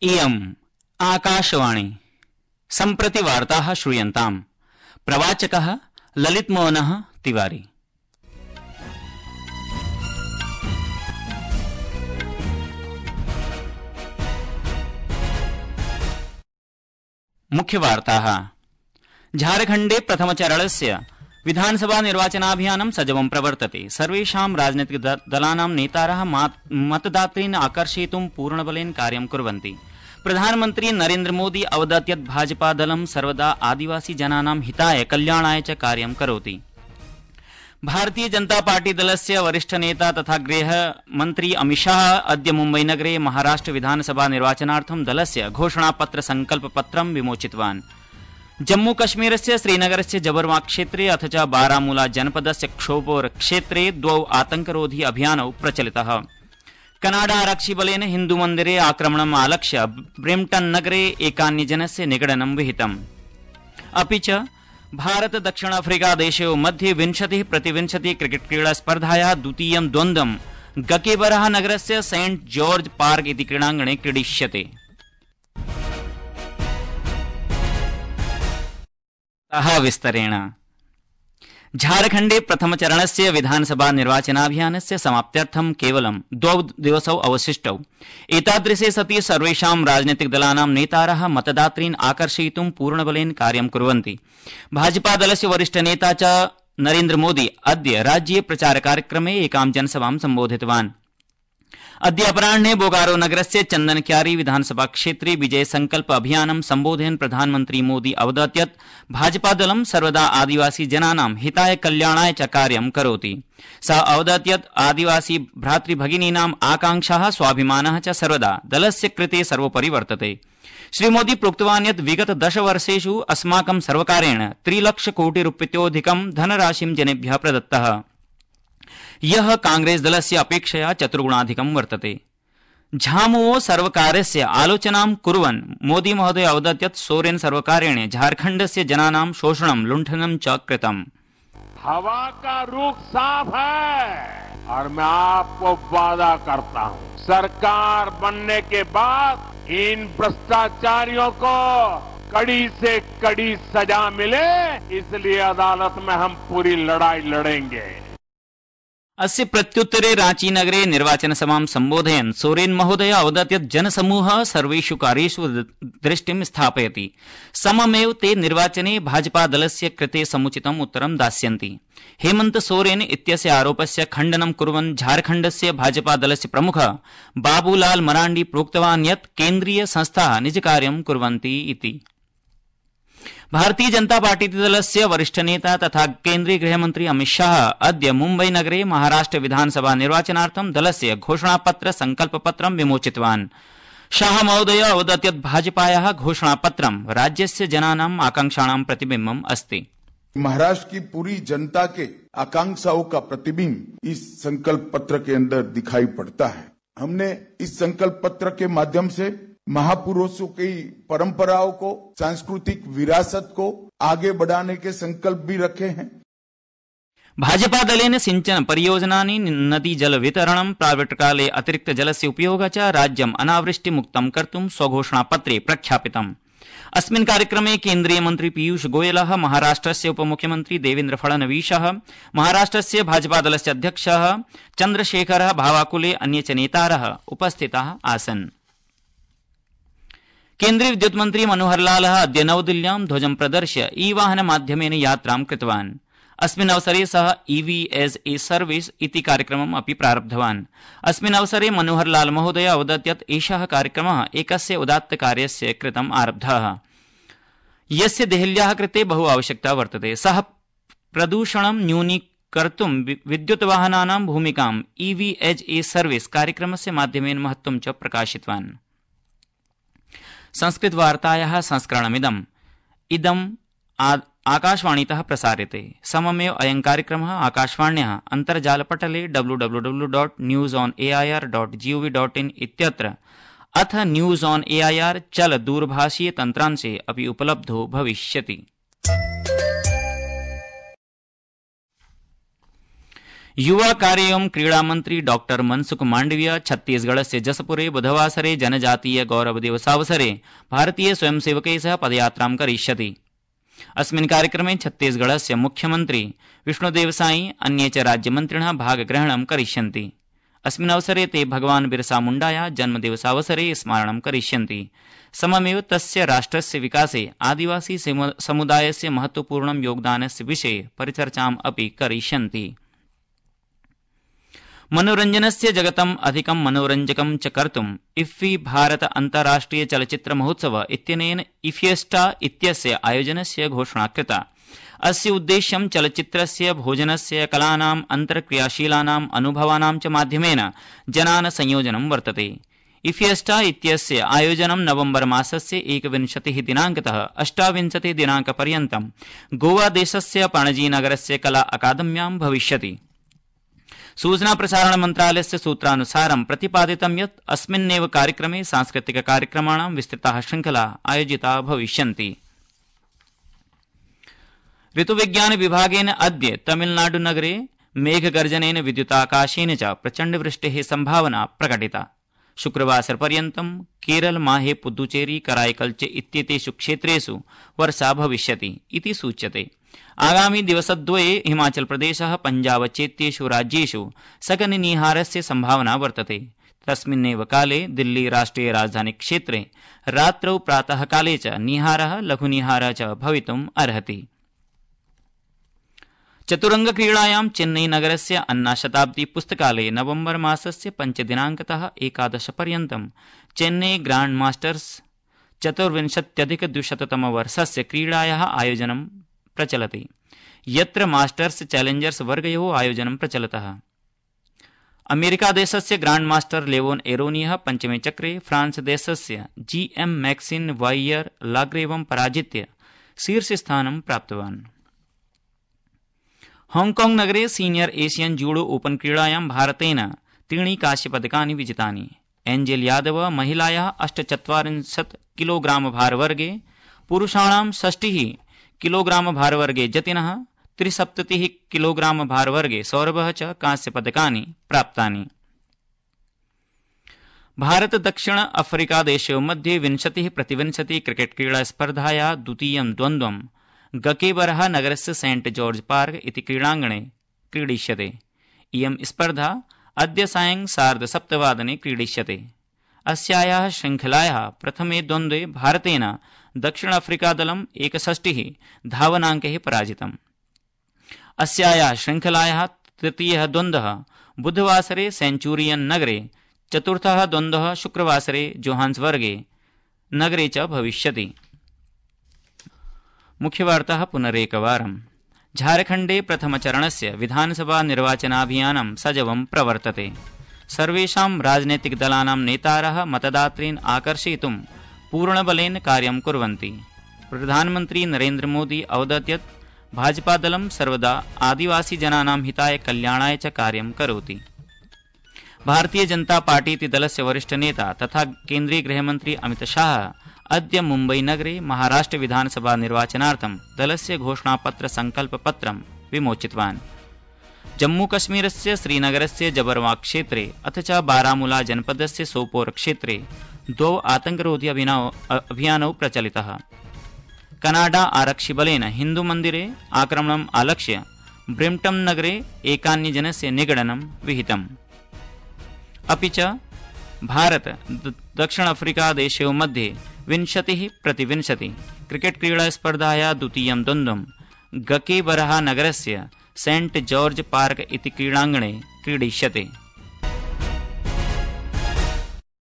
इयम् आकाशवाणी सम्प्रति वार्ताः श्रूयन्ताम्। प्रवाचकः ललितमोहनः तिवारी। मुख्यवार्ताः। झारखण्डे प्रथमचरणस्य विधानसभा निर्वाचनाभियानं सजवं प्रवर्तते। सर्वेषां राजनीतिकदलानां नेतारः मतदातॄन् आकर्षयितुं पूर्णबलेन कार्यं कुर्वन्ति। प्रधानमन्त्री नरेन्द्र मोदी अवदत् यत् भाजपा दलं सर्वदा आदिवासी जनानां हिताय कल्याणाय च कार्यं करोति। भारतीय जनता पार्टी दलस्य वरिष्ठ नेता तथा गृहमन्त्री अमितशाह अद्य मुम्बईनगरे महाराष्ट्र विधानसभा निर्वाचनार्थं दलस्य घोषणापत्र संकल्पपत्रं विमोचितवान्। जम्मू कश्मीरस्य श्रीनगरस्य जबर्मा क्षेत्रे अथ च बारामूला जनपदस्य क्षोपोर क्षेत्रे द्वौ आतंकरोधी अभियानौ प्रचलितः। कनाडा आरक्षिबलेन हिन्दुमन्दिरे आक्रमणम् आलक्ष्य ब्रेम्पटन नगरे एकान्यजनस्य निगडनं विहितम्। अपि च भारत दक्षिण अफ्रीका देशयोः मध्ये 20-20 क्रिकेट क्रीडा स्पर्धायाः द्वितीयं द्वन्द्वं गकेबरः नगरस्य सेंट जॉर्ज पार्क इति क्रीडाङ्गणे क्रीडिष्यते। विस्तरेण झारखण्डे प्रथमचरणस्य विधानसभा निर्वाचनाभियानस्य समाप्त्यर्थं केवलं 2 दिवसौ अवशिष्टौ। एतादृशे सति सर्वेषां राजनीतिकदलानां नेतारः मतदातॄन् आकर्षयितुं पूर्णबलेन कार्यं कुर्वन्ति। भाजपादलस्य वरिष्ठ नेता च नरेन्द्र मोदी अद्य राज्ये प्रचारकार्यक्रमे एकां जनसभां सम्बोधितवान्। अद्य अपराह्ने बोकारो नगरस्य चन्दनक्यारी विधानसभा क्षेत्रे विजय संकल्प अभियानं सम्बोधयन् प्रधानमन्त्री मोदी अवदत् यत् भाजपादलं सर्वदा आदिवासी जनानां हिताय कल्याणाय च कार्यं करोति। सः अवदत् यत् आदिवासी भ्रातृभगिनीनाम् आकांक्षाः स्वाभिमानः च सर्वदा दलस्य कृते सर्वोपरि वर्तते। श्रीमोदी प्रोक्तवान् यत् विगत 10 वर्षेषु अस्माकं सर्वकारेण 3 लक्षकोटिरूप्यतोऽधिकं धनराशिं जनेभ्यः प्रदत्तः, यः कांग्रेस दलस्य अपेक्षया 4 गुणाधिकं वर्तते। झामुमो सर्वकारस्य आलोचनां कुर्वन् मोदी महोदय अवदत् यत् सोरेन सर्वकारेण झारखण्डस्य जनानां शोषणं लुण्ठनं च कृतम्। हवा का रुख साफ है और मैं आपको वादा करता हूँ, सरकार बनने के बाद इन भ्रष्टाचारियों को कड़ी से कड़ी सजा मिले, इसलिए अदालत में हम पूरी लड़ाई लड़ेंगे। अस्य प्रत्युत्तरे रांची नगरे निर्वाचनसभां सम्बोधयन् सोरेन महोदय अवदत् यत् जनसमूहः सर्वेषु कार्येषु दृष्टिं स्थापयति। सममेव ते निर्वाचने भाजपादलस्य कृते समुचितम् उत्तरं दास्यन्ति। हेमन्त सोरेन इत्यस्य आरोपस्य खण्डनं कुर्वन् झारखण्डस्य भाजपादलस्य प्रमुखः बाबूलाल मरांडी प्रोक्तवान् यत् केन्द्रीय संस्थाः निजकार्यं कुर्वन्ति इति। भारतीय जनता पार्टी दलस्य वरिष्ठ नेता तथा केन्द्रीय गृहमन्त्री अमितशाह अद्य मुम्बई नगरे महाराष्ट्र विधानसभा निर्वाचनार्थं दलस्य घोषणापत्र संकल्पपत्रं विमोचितवान्। शाह महोदय अवदत् यत् भाजपायाः घोषणापत्रं राज्यस्य जनानाम् आकांक्षाणां प्रतिबिम्बम् अस्ति। महाराष्ट्र की पूरी जनता के आकांक्षाओं का प्रतिबिंब इस संकल्प पत्र के अंदर दिखाई पड़ता है। हमने इस संकल्प पत्र के माध्यम से महापुरुषों की परंपराओं को, सांस्कृतिक विरासत को आगे बढ़ाने के संकल्प भी रखे हैं। भाजपा दलेन सिंचन परियोजनानि, नदी जल वितरणं, प्रावर्तकाले अतिरिक्त जलस्य उपयोगः च राज्यम् अनावृष्टिमुक्तं कर्तुं स्वघोषणापत्रे प्रख्यापितम्। अस्मिन् कार्यक्रमे केन्द्रीय मन्त्री पीयूष गोयलः, महाराष्ट्रस्य उपमुख्यमन्त्री देवेन्द्र फडणवीसः, महाराष्ट्रस्य भाजपा दलस्य अध्यक्षः चन्द्रशेखरः भावाकुले अन्ये च नेतारः उपस्थिताः आसन्। केन्द्रीय विद्युत मन्त्री मनोहरलालः अद्य नवदिल्ल्यां ध्वजं प्रदर्श्य ई-वाहन माध्यमेन यात्रां कृतवान्। अस्मिन् अवसरे सः ईवी एज ए सर्विस इति कार्यक्रमम् अपि प्रारब्धवान्। अस्मिन् अवसरे मनोहरलाल महोदय अवदत् यत् एषः कार्यक्रमः एकस्य उदात्तकार्यस्य कृतम् आरब्धः, यस्य देहल्याः कृते बहु आवश्यकता वर्तते। सः प्रदूषणं न्यूनीकर्तुं विद्युत वाहनानां भूमिकां ईवी एज ए सर्विस कार्यक्रमस्य माध्यमेन महत्त्वं च प्रकाशितवान्। संस्कृतवार्तायाः संस्करणमिदम् आकाशवाणीतः प्रसार्यते। सममेव अयं कार्यक्रमः आकाशवाण्याः अन्तर्जालपटले www.newsonair.gov.in इत्यत्र अथ न्यूज ऑन एआईआर चल दूरभाषीय तन्त्रांशे अपि उपलब्धो भविष्यति। युवा कार्य एवं क्रीड़ा मंत्री डॉक्टर मनसुख मांडविया छत्तीसगढ़स्य जसपुरे बुधवासरे जनजातीय गौरव दिवसावसरे भारतीय स्वयंसेवकै सह पदयात्रां करिष्यति। अस्मिन् कार्यक्रमे छत्तीसगढ़स्य मुख्यमंत्री विष्णुदेव साई अन्ये च राज्यमन्त्रिणः भागग्रहणं करिष्यन्ति। अस्मिन् अवसरे ते भगवान् बिरसा मुण्डाया जन्मदिवसावसरे स्मारणं करिष्यन्ति। सममेव तस्य राष्ट्रस्य विकासे आदिवासी समुदायस्य महत्वपूर्णं योगदानस्य विषये परिचर्चाम् अपि करिष्यन्ति। मनोरञ्जनस्य जगतम् अधिकं मनोरञ्जकं च कर्तुम् इफ्फी भारत अन्ताराष्ट्रिय चलच्चित्र महोत्सव इत्यनेन इफिएस्टा इत्यस्य आयोजनस्य घोषणा कृता। अस्य उद्देश्यं चलच्चित्रस्य भोजनस्य कलानाम् अन्तर्क्रियाशीलानाम् अनुभवानां च माध्यमेन जनान् संयोजनं वर्तते। इफिएस्टा इत्यस्य आयोजनं नवम्बर मासस्य 21 दिनाङ्कतः 28 दिनाङ्कपर्यन्तं गोवादेशस्य पणजीनगरस्य कला अकादम्यां भविष्यति। सूचना प्रसारण मन्त्रालयस्य सूत्रानुसारं प्रतिपादितं यत् अस्मिन्नेव कार्यक्रमे सांस्कृतिक कार्यक्रमाणां विस्तृताः श्रृंखला आयोजिता भविष्यन्ति। ऋतुविज्ञान विभागेन अद्य तमिलनाडुनगरे मेघगर्जनेन विद्युताकाशेन च प्रचण्डवृष्टेः सम्भावना प्रकटिता। शुक्रवासरपर्यन्तं केरल माहे पुद्दुचेरी कराईकल च इत्येतेषु क्षेत्रेषु वर्षा भविष्यति इति सूच्यते। आगामी दिवसद्वये हिमाचल प्रदेशः पंजाब चेत्येषु राज्येषु सकनिनिहारस्य सम्भावना वर्तते। तस्मिन्नेव काले दिल्ली राष्ट्रिय राजधानी क्षेत्रे रात्रौ प्रातः काले च निहारः लघुनिहारः च भवितुम् अर्हति। चतुरंग क्रीडायां चेन्नई नगरस्य अन्ना शताब्दी पुस्तकालये नवम्बर मासस्य 5 दिनाङ्कतः 11 पर्यन्तं चेन्नई ग्रांड मास्टर्स 24,200 क्रीडायाः आयोजनं प्रचलति, यत्र मास्टर्स चैलेंजर्स वर्गयोः आयोजनं प्रचलतः। अमेरिकादेशस्य ग्रांड मास्टर लेवोन एरोनियः पञ्चमे चक्रे फ्रांस देशस्य GM मैक्सिन वाइयर लाग्रेवं पराजित्य शीर्षस्थानं प्राप्तवान्। हांगकांग नगरे सीनियर एशियन जूडो ओपन क्रीडायां भारतेन 3 कांस्यपदकानि विजितानि। एंजेल यादव महिलायाः 48 किलोग्राम भारवर्गे, पुरुषाणां 60 किलोग्राम भारवर्गे जतिनः, 73 किलोग्राम भारवर्गे सौरभः च कांस्यपदकानि प्राप्तानि। भारत दक्षिण अफ्रीका देशयोः मध्ये 20-20 क्रिकेट क्रीडा स्पर्धायाः द्वितीयं द्वन्द्वं गकेबरः नगरस्य सेंट जॉर्ज पार्क इति क्रीडाङ्गणे क्रीडिष्यते। इयं स्पर्धा अद्य सायं 7:30 क्रीडिष्यते। अस्यायाः श्रृङ्खलायाः प्रथमे द्वन्द्वे भारतेन दक्षिण अफ्रीका दलं 61 धावनाङ्कैः पराजितम्। अस्यायाः श्रृङ्खलायाः तृतीयः द्वन्द्वः बुधवासरे सेंचुरियन नगरे, चतुर्थः द्वन्द्वः शुक्रवासरे जोहान्सबर्गे नगरे च भविष्यति। मुख्यवार्ताः पुनरेकवारम्। झारखण्डे प्रथमचरणस्य विधानसभा निर्वाचनाभियानं सजवं प्रवर्तते। सर्वेषां राजनैतिकदलानां नेतारः मतदातॄन् आकर्षयितुं पूर्णबलेन कार्यं कुर्वन्ति। प्रधानमन्त्री नरेन्द्र मोदी अवदत् यत् भाजपादलं सर्वदा आदिवासीजनानां हिताय कल्याणाय च कार्यं करोति। भारतीय जनता पार्टी इति दलस्य वरिष्ठनेता तथा केन्द्रीय गृहमन्त्री अमित शाह अद्य मुम्बई नगरे महाराष्ट्र विधानसभा निर्वाचनार्थं दलस्य घोषणापत्र संकल्पपत्रं विमोचितवान्। जम्मूकश्मीरस्य श्रीनगरस्य जबरवा क्षेत्रे अथ च बारामूला जनपदस्य सोपोर क्षेत्रे 2 आतंकरोधी अभियानौ प्रचलितः। कनाडा आरक्षिबलेन हिन्दुमन्दिरे आक्रमणम् आलक्ष्य ब्रिम्पटन् नगरे एकान्यजनस्य निगडनं विहितम्। अपि च भारत दक्षिण अफ्रीका देशयोः मध्ये 20-20 क्रिकेट क्रीडा स्पर्धायाः द्वितीयं द्वन्द्वं गकेबरः नगरस्य सेंट जॉर्ज पार्क इति क्रीडाङ्गणे क्रीडिष्यते।